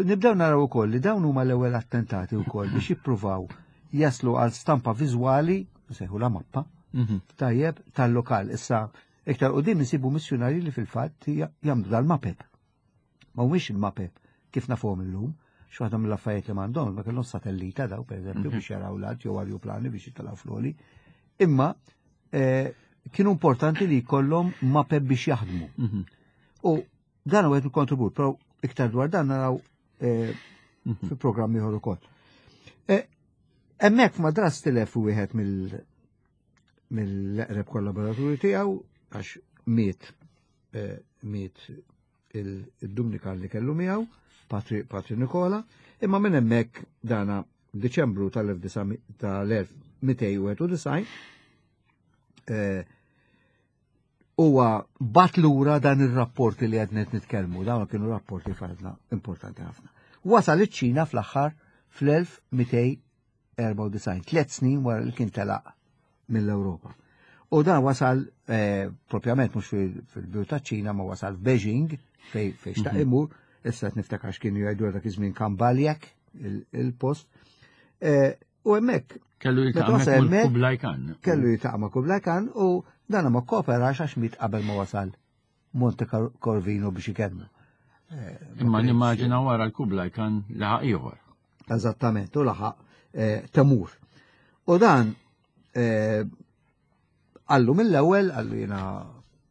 nibdew naraw ukoll li dawn huma l-ewwel attentati wkoll biex jippruvaw jaslu għal stampa viżwali, nsejħu la mappa, mhm. tajjeb tal-lokal. Issa iktar qudiem insibu missjonari li fil-fatt jagħmlu dal-mapep. Ma humiex il-mapep kif nafuhom illum, x'waħda mill-affarijiet li m'għandhom, ma kellhom satellita daw pereżempju mhm. biex jaraw l-art jew arjuplani biex jitilgħu floli. Imma eh, kienu importanti li jkollhom mapep biex jaħdmu. Mhm. U dan huwa il-kontribut, però iktar dwar dan naraw eh, mhm. fi programm ieħor ukoll. Eh, hemmhekk madras tilef wieħed mill mill-eqreb kollaboraturi tiegħu għax miet miet il-Dumnikan li kellu miegħu, Patri, Patri Nikola, imma minn hemmhekk dana Diċembru tal-1291 eh, huwa bat lura dan ir-rapporti li qed nitkellmu, dawn kienu rapporti fadla importanti ħafna. Wasal iċ-Ċina fl-aħħar fl-1294, tliet snin wara li kien telaq mill-Ewropa. U dan wasal eh, propjament mhux fil-biu ta' ċina ma wasal f'Beijing fej fej xtaq mhm. imur, issa qed niftakar x'kienu jgħidu dak iż-żmien Kambaljak il-post. Eh, u hemmhekk kellu jiltaqa' ma' Kublai Khan. Kellu jiltaqa' ma' Kublai Khan u dan ma kooperax għax miet qabel ma wasal Monte Corvino biex ikellmu. Eh, Imma nimmaġina wara l-Kublai Khan laħaq ieħor. Eżattament, u laħaq eh, Temur. U dan eh, għallu mill-ewwel, għallu jiena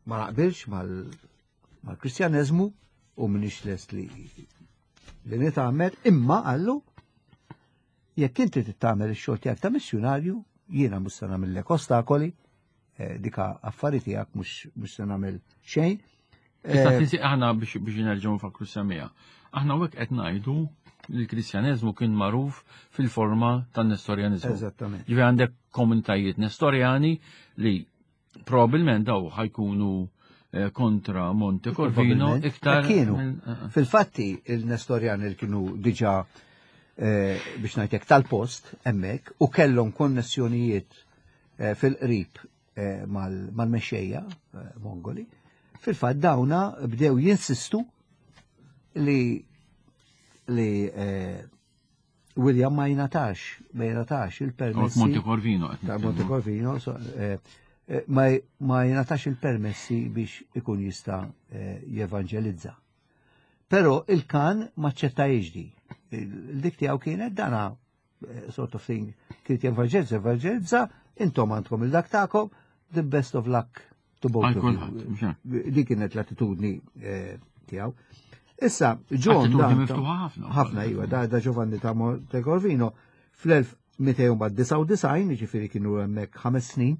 ma naqbilx mal-Kristjaneżmu u minix lest li li nitgħammed, imma għallu jekk inti titgħamel ix-xogħol tiegħek ta' missjunarju, jiena mhux se nagħmellek ostakoli, eh, dika affari tiegħek mhux se nagħmel xejn. Issa eh, tinsi aħna biex biex nerġgħu nfakru semija. Aħna hekk qed ngħidu li l-Kristjaneżmu kien magħruf fil-forma tan-Nestorjaniżmu. Eżattament. Ġifi għandek komunitajiet Nestorjani li probabbilment daw ħajkunu eh, kontra Monte Corvino iktar. Kienu. Eh, Fil-fatti il-Nestorjani li kienu diġà biex ngħidlek tal-post hemmhekk u kellhom konnessjonijiet fil-qrib eh, mal-mexxejja eh, Mongoli, fil-fatt dawna bdew jinsistu li li eh, William ma jingħatax, ma jingħatax il-permessi. Monte Corvino. Ta' Monte Corvino, ma jingħatax il-permessi biex ikun jista' jevanġelizza. Però il-kan ma ċetta jiġdi. Il-dik tiegħu kienet dana Eh, sort of thing, kien jevanġelizza, evanġelizza, intom għandkom il-dak tagħkom, the best of luck to both of you. Dik kienet l-attitudni eh, tiegħu. Issa, John. Ħafna. Ħafna, iva, da, da Giovanni ta' Monte Corvino fl-1299, ġifiri kienu hemmhekk ħames snin,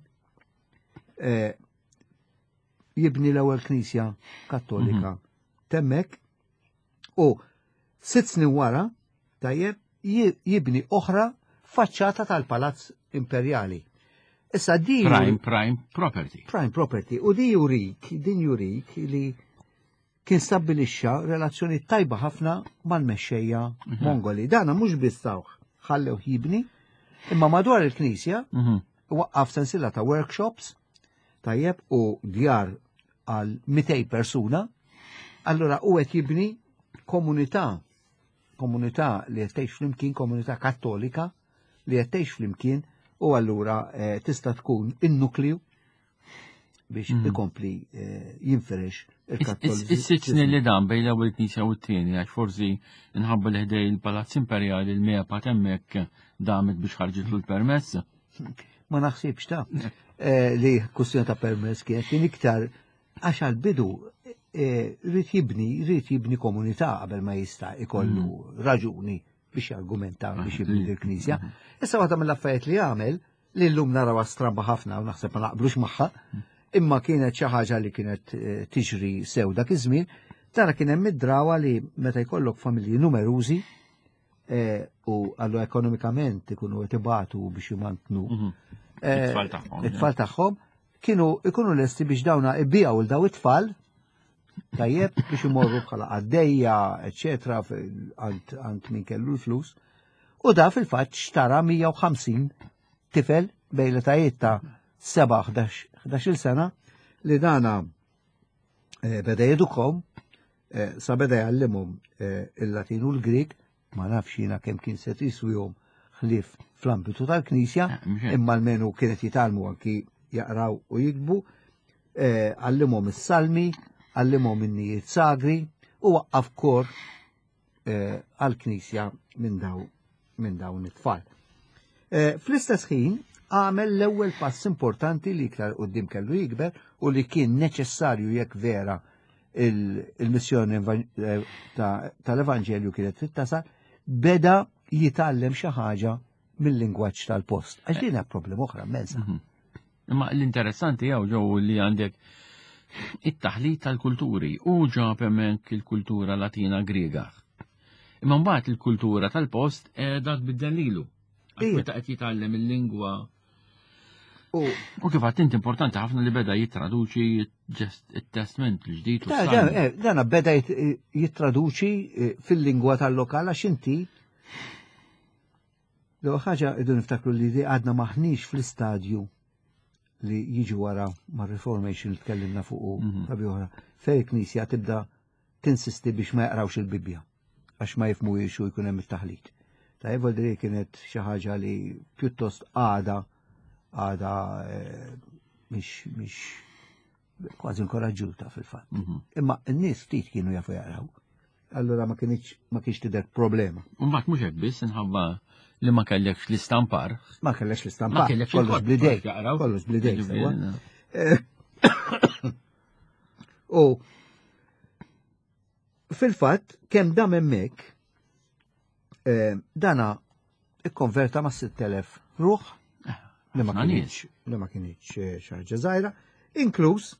eh, jibni l-ewwel knisja kattolika mhm. temmek u sitt snin wara tajjeb jibni oħra faċċata tal-Palazz Imperjali. Issa di Prime, prime property. Prime property. U di jurik, din jurik li kien stabbilixxa relazzjoni tajba ħafna mal-mexxejja mhm. Mongoli. Dana mhux biss tawh ħallew jibni, imma madwar il-knisja mhm. waqqaf sensila ta' workshops tajjeb u djar għal 200 persuna, allura u qed jibni komunità komunità li qed tgħix flimkien, komunità kattolika li qed tgħix flimkien u allura eh, tista' tkun in-nukliju biex mm. ikompli eh, jinfirex il-kattoliċiżmu. Is-sitt snin li dan bejn l-ewwel knisja u t-tieni għax forsi nħabba li ħdej il-Palazz Imperjali l-mepa hemmhekk damet biex ħarġitlu l-permess. Ma naħsibx ta' eh, li kwestjoni ta' permess kienet kien iktar għax għal-bidu eh, rrid jibni, rrid jibni komunità qabel ma jista' ikollu mm. raġuni biex jargumenta biex jibni l-knisja. Mm. Issa waħda mill-affarijiet li għamel li llum narawha stramba ħafna u naħseb ma naqblux magħha, imma kienet xi ħaġa li kienet eh, tiġri sew dak iż-żmien, tara kien hemm id-drawa li meta jkollok familji numerużi eh, u għallu ekonomikament ikunu qed ibatu biex jmantnu mhm. eh, it-tfal tagħhom, kienu ikunu lesti biex dawna ibbijaw il daw it-tfal tajjeb biex imorru bħala għaddejja, eċetera, għand min kellu l-flus. U da fil-fatt xtara 150 tifel bejn l-etajiet ta' 7 11 sena li dana eh, beda jedukom eh, sa beda jgħallimhom eh, il-Latin u l-Grik, ma nafx jiena kemm kien se jiswihom ħlief fl-ambitu tal-Knisja, imma almenu kienet jitgħallmu anki jaqraw u jiktbu, għallimhom is-salmi, għallimhom in-nijiet sagri u waqqaf kor għall-Knisja minn daw minn dawn it-tfal. Fl-istess ħin għamel l-ewwel pass importanti li iktar qudiem kellu jikber u li kien neċessarju jekk vera il-missjoni eh, tal-Evanġelju kienet trid tasal, beda jitgħallem xi ħaġa mill-lingwaġġ tal-post. Għax din hija problema oħra immensa. Mhm. Imma l-interessanti jew ġew li għandek it-taħlit tal-kulturi u ġab hemmhekk il-kultura Latina Griega. Imma mbagħad il-kultura tal-post qiegħda tbiddel lilu. Meta qed jitgħallem il-lingwa U kif għat inti importanti ħafna li beda jittraduċi it-testament l-ġdid. Eh, dana beda jittraduċi eh, fil-lingwa tal-lokal għax inti L-ewwel ħaġa rridu niftakru li għadna maħniex fl-istadju li jiġi wara ma' Reformation li tkellimna fuq mhm. rabi oħra, fej il-Knisja tibda tinsisti biex ma jaqrawx il-Bibbja għax ma jifmuhiex u jkun hemm it-taħlit. Ta' Evoldri kienet xi ħaġa li pjuttost għada għada eh, mhix mhix kważi inkoraġġuta fil-fatt. Mhm. Imma n-nies ftit kienu jafu jaqraw. Allura ma kienx ma kienx tidher problema. Mbagħad mhux hekk biss inħabba li ma kellekx l-istampar. Ma kellekx l-istampar. Ma kellekx kollox blidej. Kollox blidej. Eh, u fil-fatt kemm dam hemmhekk eh, dana ikkonverta ma' 6000 ruħ eh, li ma kienx li ma kienx xi ħaġa żgħira, inkluż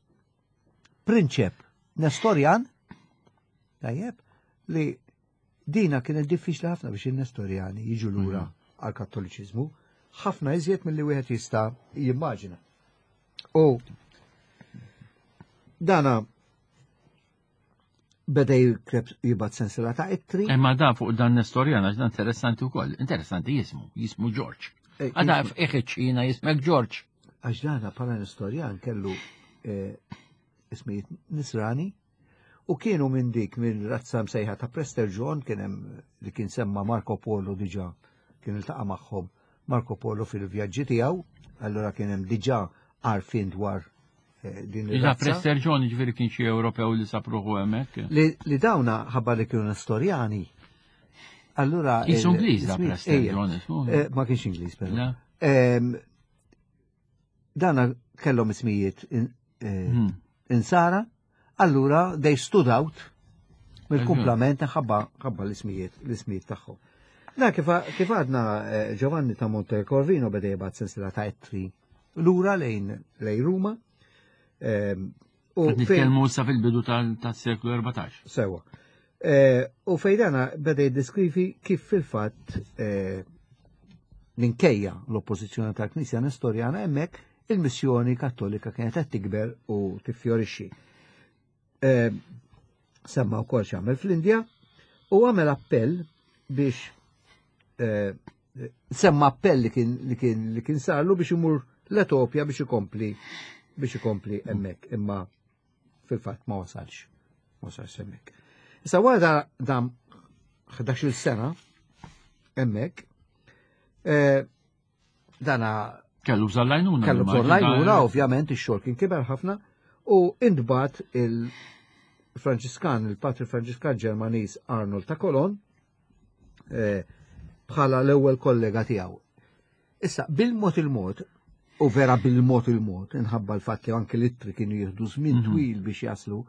prinċep Nestorjan, tajjeb, li dina kienet diffiċli ħafna biex il-Nestorjani jiġu lura mhm. għal kattoliċiżmu, ħafna iżjed milli wieħed jista' jimmaġina. U dana beda jikreb jibat sensila ta' ittri. Imma da fuq dan Nestorjan għax dan interessanti wkoll, interessanti jismu, jismu George. Eh, Għada f'iħiċ jismek George. Għax dana bħala Nestorjan kellu eh, ismijiet Nisrani u kienu minn dik minn razza msejħa ta' Prester John kien hemm li kien semma Marco Polo diġà kien iltaqa' magħhom Marco Polo fil-vjaġġi tiegħu, allura kien hemm diġà għarfien dwar eh, din il Prester John ġifieri kien xi Ewropew li sapruħu hemmhekk. Li dawna ħabba li kienu Nestorjani. Allura. Jisu Ingliż da Prester John. Eh, ma kienx Ingliż però. Dana kellhom ismijiet eh, hmm. insara, allura they stood out mill-kumplament ħabba ħabba l-ismijiet l-ismijiet tagħhom. Da kif għadna eh, Giovanni ta' Monte Corvino beda jibgħat sensila ta' ettri lura lejn lejn Ruma. Ehm, u nitkellmu sa fil-bidu tas-seklu 14. Sewa. Eh, u fejdana beda jiddiskrivi kif fil-fatt eh, minkejja l-oppożizzjoni tal-Knisja Nestorjana hemmhekk il-missjoni kattolika kienet qed tikber u tiffjorixxi. Eh, semma wkoll x'għamel fl-Indja u għamel appell biex semma appell li kien li kien li kien sarlu biex imur l-Etopja biex ikompli biex ikompli hemmhekk imma fil-fatt ma wasalx ma wasalx hemmhekk. Issa wara dam 11-il sena hemmhekk eh, dana kellu bżonn lajnuna. Kellu bżonn lajnuna, ovvjament ix-xogħol kien kiber ħafna u intbat il-Franċiskan, il-Patri Franċiskan Ġermaniż Arnold ta' Kolon, Eh, bħala l-ewwel kollega tiegħu. Issa, bil-mod il-mod, u vera bil-mod il-mod, inħabba l-fatt li anke l-ittri kienu jieħdu żmien mhm. twil biex jaslu,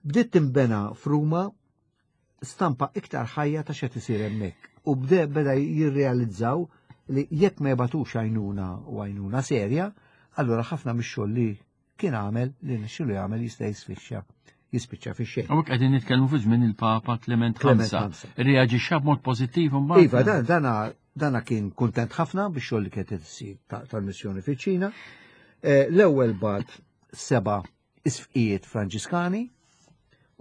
bdiet timbena f'Ruma stampa iktar ħajja ta' xed isir hemmhekk. U bde beda jirrealizzaw li jekk ma jibatux għajnuna u għajnuna serja, allura ħafna mix-xogħol li kien għamel li nixxilu jagħmel jista' jisfixxa jispiċċa fi xejn. Hawnhekk qegħdin nitkellmu fi żmien il-Papa Clement V. Reaġixxa b'mod pożittiv imbagħad. Iva, dan dana dana kien kuntent ħafna biex xogħol li kienet issir tal-missjoni fiċ-Ċina. Eh, l-ewwel bat seba' isfqijiet Franġiskani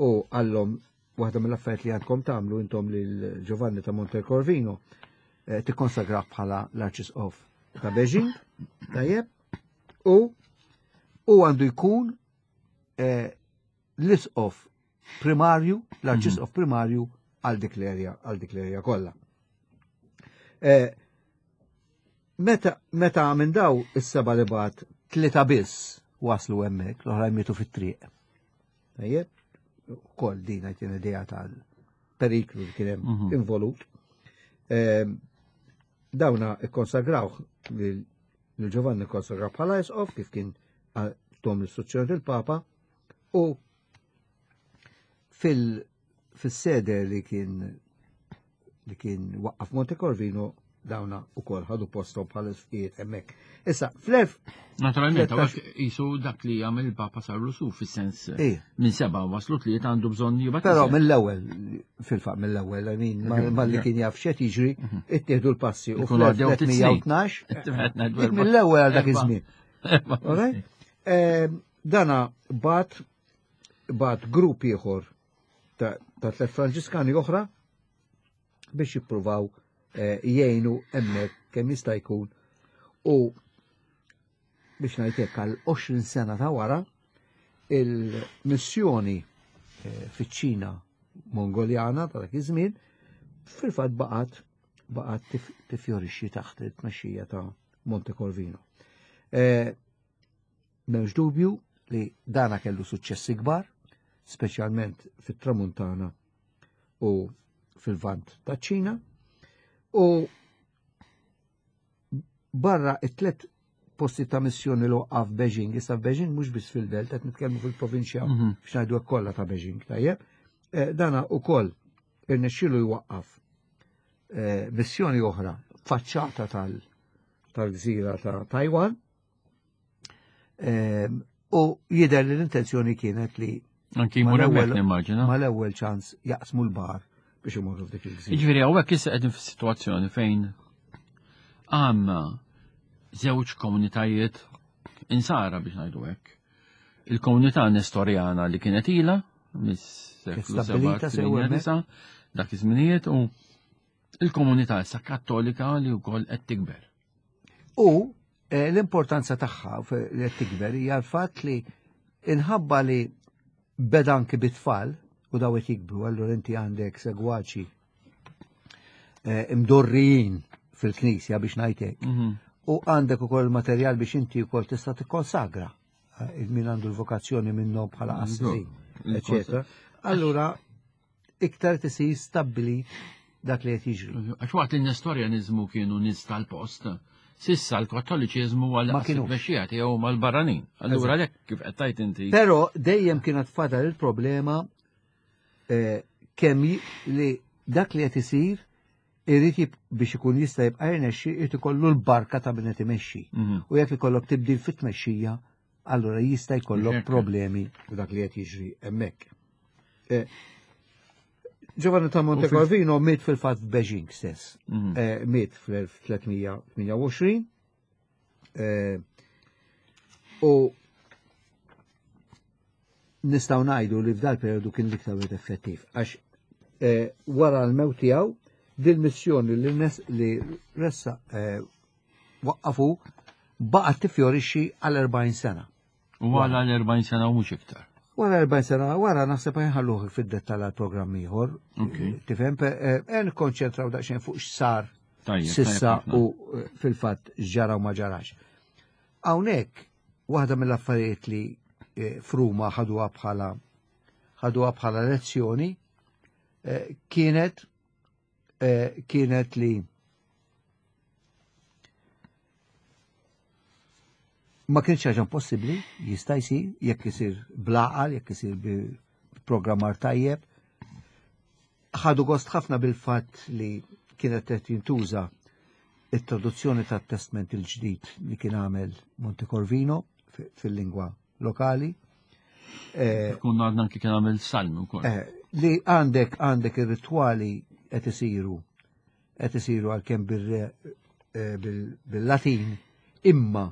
u għallhom waħda mill-affarijiet li għandkom tagħmlu intom lil Giovanni ta' Montecorvino eh, tikkonsagra bħala l-Arċisqof ta' Beijing, tajjeb. U u għandu jkun eh, l-isqof primarju, l-arċisqof mhm. primarju għal dik l-erja, għal dik l-erja kollha. Eh, meta meta minn daw is-seba li bat tlieta biss waslu hemmhekk, l-oħrajn mietu fit-triq. Tajjeb, ukoll din qed idea tal-periklu li kien hemm mhm. involut. Ehm, dawna ikkonsagrawh lil Giovanni kkonsagraw bħala isqof kif kien tom l-istruzzjoni il-Papa u fil-sede li kien li kien waqqaf Monte Corvino dawna u kol ħadu postom bħal isfijiet hemmhekk. Issa, fl-1000 Naturalment, għax jisu dak li għamil il-Papa sarlu su fis-sens minn seba waslu tliet għandu bżonn jibgħat. Però mill-ewwel, fil-fatt mill-ewwel, I mean, malli kien jaf x'qed jiġri, mhm. ittieħdu l-passi u fl-1312 mill-ewwel għal dak iż-żmien. Ehm, dana bat bat grupp ieħor ta' tliet Franġiskani oħra biex jippruvaw eh, jgħinu hemmhekk kemm jista' jkun u biex ngħid għal 20 sena ta' wara il-missjoni eh, fiċ-Ċina Mongoljana ta' dak iż-żmien fil-fatt baqgħet baqgħet tifjorixxi taħt it-tmexxija ta' Monte Corvino. Eh, M'hemmx dubju li dana kellu suċċessi kbar, speċjalment fit-Tramuntana u fil-Vant taċ-Ċina, u barra it-tlet posti ta' missjoni li waqqaf Beijing, issa Beijing mhux biss fil-belt, qed nitkellmu fil-provinċja mm -hmm. biex ngħidu kollha ta' Beijing, tajjeb. Eh, dana ukoll irnexxielu jwaqqaf eh, missjoni oħra faċċata tal-gżira ta' Taiwan Ehm, u jidher li l-intenzjoni kienet li Anki jmur hemmhekk nimmaġina. Mal-ewwel ċans jaqsmu l-bar biex imorru f'dik il-gżira. Jiġifieri hawnhekk issa qegħdin fis-sitwazzjoni fejn għandna żewġ komunitajiet insara biex ngħidu hekk. Il-komunità Nestorjana li kienet ilha mis-seklu 7 dak iż-żminijiet u il-komunità issa kattolika li wkoll qed tikber. U eh, l-importanza tagħha li qed tikber hija l-fatt li inħabba li beda anki bit-tfal u daw qed jikbru, allura inti għandek segwaċi eh, imdorrijin fil-knisja biex ngħidlek. Mhm. U għandek ukoll materjal biex inti wkoll tista' tikkonsagra eh, min għandu l-vokazzjoni minnhom bħala qassisin, eċetera. Allura iktar tisir stabbilit dak li qed jiġri. Għax waqt li n-Nestorjaniżmu kienu nies tal-post, sissa l-Kattoliċiżmu għal ma kienu mexxija tiegħu mal-barranin. Allura għalhekk kif qed tajt inti. Però dejjem kienet fadal il-problema eh, kemm li dak li qed isir irid biex ikun jista' jibqa' jirnexxi irid ikollu l-barka ta' min qed imexxi. Mhm. U jekk ikollok tibdil fit-tmexxija, allura jista' jkollok problemi u dak li qed jiġri hemmhekk. Eh, Giovanni ta' Monte Corvino miet fil-fatt f'Beijing stess. Mhm. Eh, miet fl-1328. Eh, u nistgħu ngħidu li f'dal periodu kien l-iktar wieħed effettiv għax wara l-mewt tiegħu dil-missjoni li li ressa waqqafu baqgħet tifjorixxi għal 40 sena. U għal 40 sena u mhux iktar. Wara 40 sena, wara naħseb ħalluh fid-dettall għal programm ieħor. Tifhem, eh, eh, nikkonċentraw daqsxejn fuq x'sar sissa u eh, fil-fatt ġara u ma ġarax. Hawnhekk waħda mill-affarijiet li fruma ħaduha bħala ħaduha bħala lezzjoni kienet Eh, kienet li ma kienx ħaġa impossibbli, jista' jsir, jekk isir blaqal, jekk isir bi programmar tajjeb. Ħadu gost ħafna bil-fatt li kienet qed jintuża it-traduzzjoni tat-Testment il-ġdid li kien għamel Monte Corvino fil-lingwa lokali. Eh, Kun għadna anki kien għamil salmi wkoll. Eh, li għandek għandek ir-ritwali qed isiru qed isiru għalkemm eh, bil-Latin, imma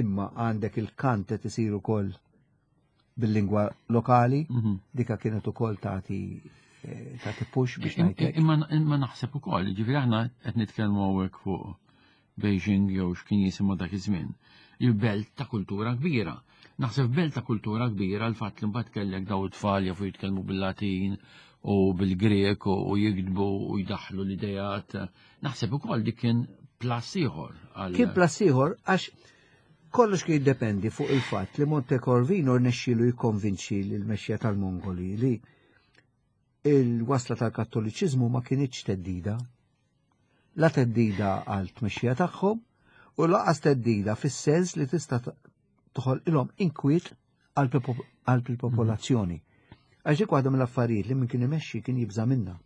imma għandek il-kant qed isir ukoll bil-lingwa lokali, mhm. dika kienet ukoll tagħti tagħti push biex ngħidlek. Imma naħseb ukoll, ġifieri aħna qed nitkellmu hawnhekk fuq Beijing jew x'kien jisimha dak iż-żmien. Il-belt ta' kultura kbira. Naħseb belt ta' kultura kbira l-fatt li mbagħad kellek daw it-tfal jafu jitkellmu bil-Latin u bil-Grek u jiktbu u jdaħħlu l-idejat. Naħseb ukoll dik kien plus ieħor. Kien plus ieħor għax kollox kien jiddependi fuq il-fatt li Monte Corvino rnexxielu jikkonvinċi l-mexxija tal-Mongoli li il-wasla tal-Kattoliċiżmu ma kinitx theddida. La theddida għal tmexxija tagħhom u laqas theddida fis-sens li tista' toħolqilhom inkwiet qalb il-popolazzjoni. Għax dik waħda mill-affarijiet li min kien imexxi kien jibża' minnha.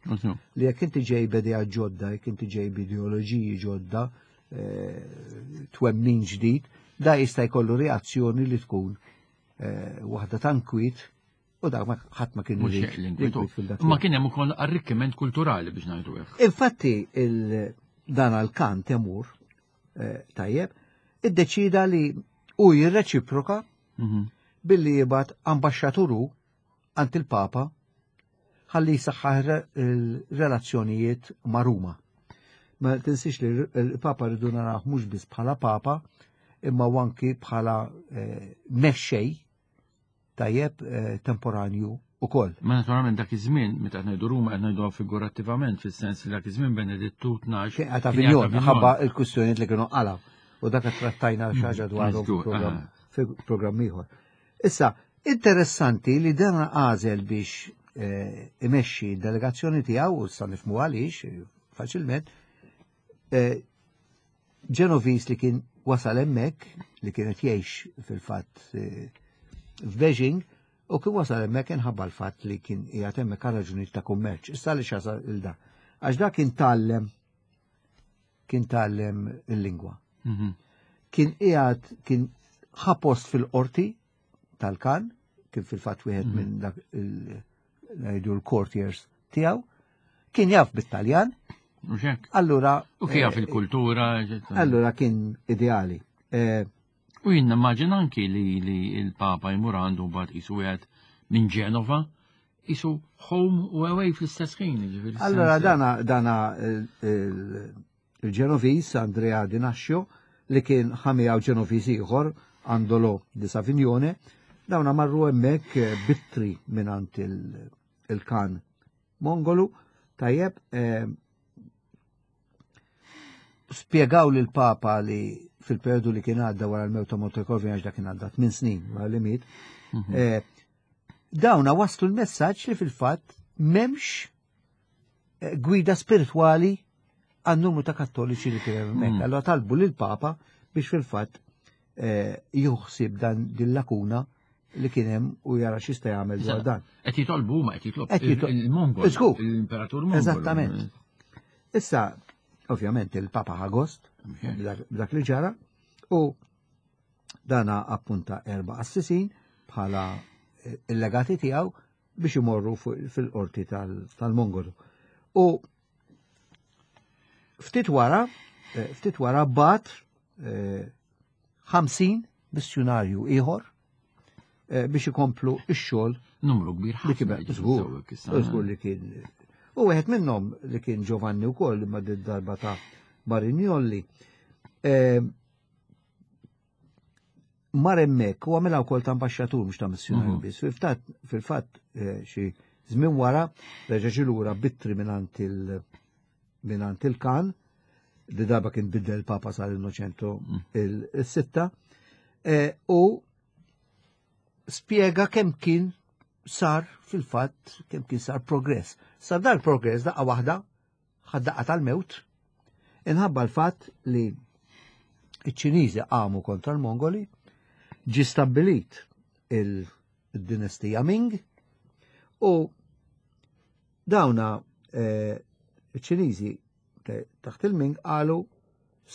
Li jekk inti ġej b'idea ġodda, jekk inti ġej b'ideoloġiji ġodda, eh, twemmin ġdid, da jista' jkollu reazzjoni li tkun eh, waħda ta' nkwiet u dak ħadd ma kien irid. Ma kien hemm ukoll arrikkiment kulturali biex ngħidu hekk. Infatti dan għal-kan Temur eh, tajjeb, iddeċida li u jirreċiproka mhm. billi jibgħat ambaxxaturu għand il-Papa ħalli jisaħħaħ il-relazzjonijiet ma' Ruma. Ma tinsiex li l-Papa rridu naraw mhux biss bħala Papa, imma anki bħala eh, mexxej tajjeb eh, temporanju ukoll. Ma naturalment dak iż-żmien meta qed ngħidu Ruma qed ngħiduha figurattivament fis-sens li dak iż-żmien Benedittu 12. Kien qed Avignon ħabba l-kwistjonijiet li kienu qalgħu u dak qed trattajna xi ħaġa dwaru fi programm ieħor. Issa, interessanti li dan għażel biex eh, imexxi d-delegazzjoni tiegħu u sa nifhmu għaliex eh, faċilment Ġenoviż li kien wasal hemmhekk, li kien qed jgħix fil-fatt eh, f'Beijing, u kien wasal hemmhekk inħabba l-fatt li kien qiegħed hemmhekk għal raġunijiet ta' kummerċ. Issa li xasal il da. Għax da kien tgħallem kien tgħallem il-lingwa. Mhm. Kien qiegħed kien ħa post fil-qorti tal-kan, kien fil-fatt wieħed mhm. minn dak ngħidu l-courtiers tiegħu, kien jaf bit-Taljan. Allura. U kien jaf eh, il-kultura. Allura kien ideali. Eh, u jien nimmaġina anki li il-Papa jmur għandu mbagħad qisu wieħed minn Ġenova isu home u away fl-istess ħin. Allora dana dana il-Ġenoviż Andrea Di Nascio li kien ħamijaw Ġenoviż ieħor Andolo di Savignone, dawna marru hemmhekk eh, bittri mingħand il-kan Mongolu, tajjeb eh, spjegaw lil papa li fil-periodu li kien għadda wara l-mewt ta' Montecorvino għax dak kien għadda 8 snin wara li miet, mhm. eh, dawna waslu l-messaġġ li fil-fatt memx eh, gwida spiritwali għan numru ta' kattoliċi li kien hemmhekk. Mm. Allora talbu lil papa biex fil-fatt eh, juħsib dan din lakuna li kien hemm u jara x'jista' jagħmel dwar dan. Qed jitolbu huma qed jitlob il-Mongol. L-Imperatur Mongol. Eżattament. Issa, ovvjament il-Papa ħagost dak li ġara u dana appunta erba' assisin bħala eh, il-legati tiegħu biex imorru fil-qorti tal-Mongolu. U ftit wara, eh, ftit wara bat 50 eh, missjunarju ieħor eh, biex ikomplu x-xogħol. Numru kbir ħafna. Żgur, li kien. U wieħed minnhom li kien Giovanni wkoll imma darba ta' Marignolli. Mar hemmhekk u għamilha wkoll ta' ambaxxatur mhux ta' missjunarju mhm. biss. Fil-fatt eh, xi żmien wara reġa' ġie lura bittri mingħand il mingħand il-kan li darba kien biddel Papa sar Innoċentu mm. il-sitta eh, u spjega kemm kien sar fil-fatt kemm kien sar progress. Sar dal progress daqqa waħda ħad-daqqa tal-mewt, inħabba l-fatt li iċ-Ċiniżi qamu kontra l-Mongoli, ġi stabbilit il-dinastija Ming u dawna eh, iċ-Ċiniżi taħt il-Ming qalu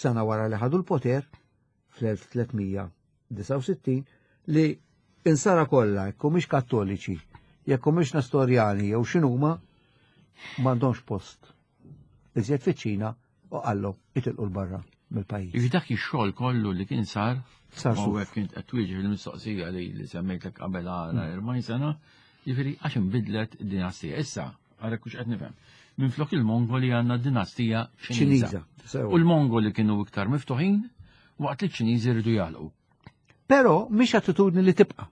sena wara li ħadu l-poter fl-1369 li insara kollha jekk mhux kattoliċi, jekk mhux Nestorjani jew x'inhuma m'għandhomx post iżjed fiċ-Ċina u qallhom itilqu l-barra mill-pajjiż. Iġi dak ix-xogħol kollu li kien sar sar u hekk kien qed twieġeb il-mistoqsija li li semmejtlek qabel għara 40 mm. sena, jiġifieri għax inbidlet dinastija. Issa, Għarek hux qed nifhem. Minflok il-Mongoli għandna dinastija Ċiniża. U l-Mongoli kienu iktar miftuħin waqt li ċ-Ċiniżi rridu jagħlqu. Però mhix attitudni li tibqa'.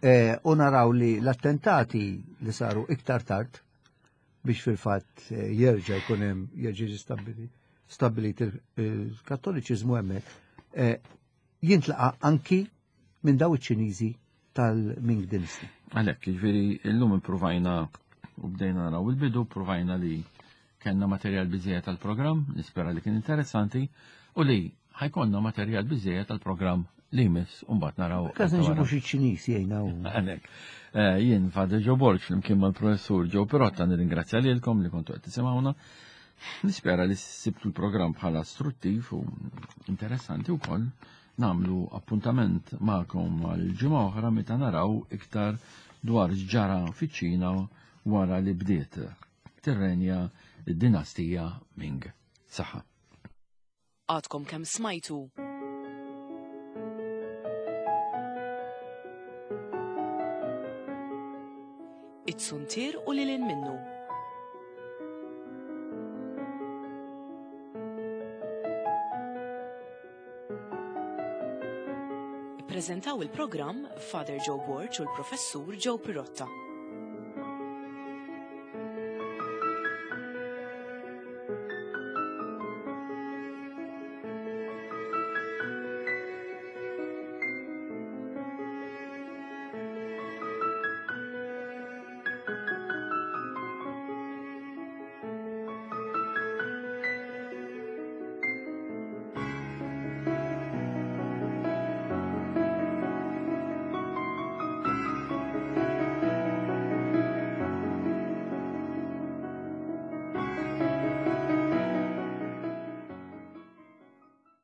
Eh, u naraw li l-attentati li saru iktar tard biex fil-fatt eh, jerġa' jkun hemm jerġa' stabbilit il-Kattoliċiżmu hemmhekk eh, jintlaqa' anki minn daw iċ-Ċiniżi tal-Ming Dynasty. Għalhekk, jiġifieri llum ippruvajna u bdejna naraw il-bidu, provajna li kellna materjal biżejjed tal-programm, nispera li kien interessanti, u li ħajkonna materjal biżejjed tal-programm li jmiss u mbagħad naraw. Każ nġibu xi Ċiniż jgħinna. Għalhekk. Eh, jien Father Joe Borg flimkien mal-professur Joe Pirotta nirringrazzja lilkom li kontu qed tisimgħuna. Nispera li sibtu l-programm bħala struttiv u interessanti wkoll Nagħmlu appuntament magħkom għal ġimgħa oħra meta naraw iktar dwar x'ġara fiċ-Ċina wara li bdiet tirrenja d-dinastija Ming. Saħħa. Għadkom kemm smajtu It-suntier u lil minnu. Ippreżentaw il-programm Father Joe Borg u l-Professur Joe Pirotta.